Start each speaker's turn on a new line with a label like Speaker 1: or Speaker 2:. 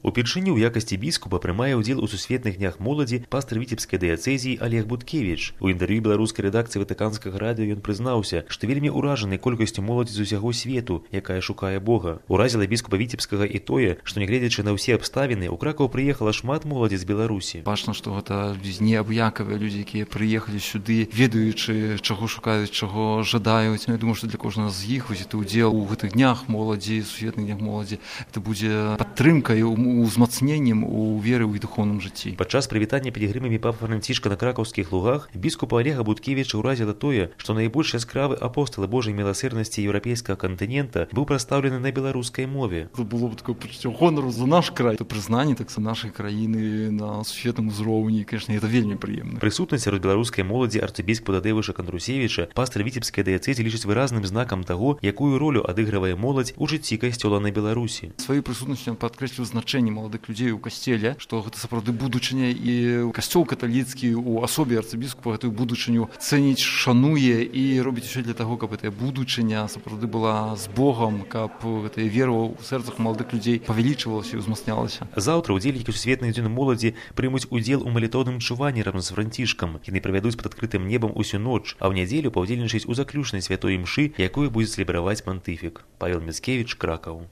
Speaker 1: Упершыню ў якасці біскупа прымае ўдзел у сусветных днях моладзі пастар віцебскай дыяцэзіі Олег Буткевіч. У інтэрв'ю беларускай рэдакцыі ватыканскага радыё ён прызнаўся, што вельмі ўражаны колькасцю моладзі з усяго свету, якая шукае Бога. Уразіла біскупа віцебскага і тое, што нягледзячы на ўсе абставіны, у Кракаў прыехала шмат моладзі з Беларусі.
Speaker 2: Бачна, што гэта неабыякавыя людзі, якія прыехалі сюды, ведаючы, чаго шукаюць, чаго жадаюць. Я думаю, што для кожнага з іх узяты ўдзел у гэтых днях моладзі, сусветных днях моладзі, это будзе падтрымкай, узмацненнем у веры ў духоўным жыцці.
Speaker 1: Падчас прывітання пілігрымамі папы Францішка на кракаўскіх лугах біскупа Олега Буткевіча ўразіла тое, што найбольш яскравы апостол Божай міласэрнасці еўрапейскага кантынента быў прадстаўлены на беларускай мове.
Speaker 2: Це було б такое пачуццё гонару за наш край. Это прызнанне таксама нашай краіны на сусветным узроўні, конечно, это вельмі прыемна.
Speaker 1: Прысутнасць сярод беларускай моладзі арцыбіскупа Тадзеуша Кандрусевіча пастар віцебскай дыяцэзіі лічыць выразным знакам таго, якую ролю адыгрывае моладзь у жыцці касцёла на Беларусі.
Speaker 2: Сваёй прысутнасцю ён падкрэсліў значэнне маладых людзей у касцеле, што гэта сапраўды будучыня, і касцёл каталіцкі у асобе арцыбіскупа гэтую будучыню цэніць, шануе і робіць усё для таго, каб гэтая будучыня сапраўды была з Богам, каб гэтая вера ў сэрцах маладых людзей павялічвалася і ўзмацнялася.
Speaker 1: Заўтра ўдзельнікі сусветных дзён моладзі прымуць удзел у малітоўным чуванні разам з Францішкам. Яны правядуць пад адкрытым небам усю ноч, а ў нядзелю паўдзельнічаюць у заключнай святой імшы, якую будзе цэлебраваць пантыфік. Павел Міцкевіч, Кракаў.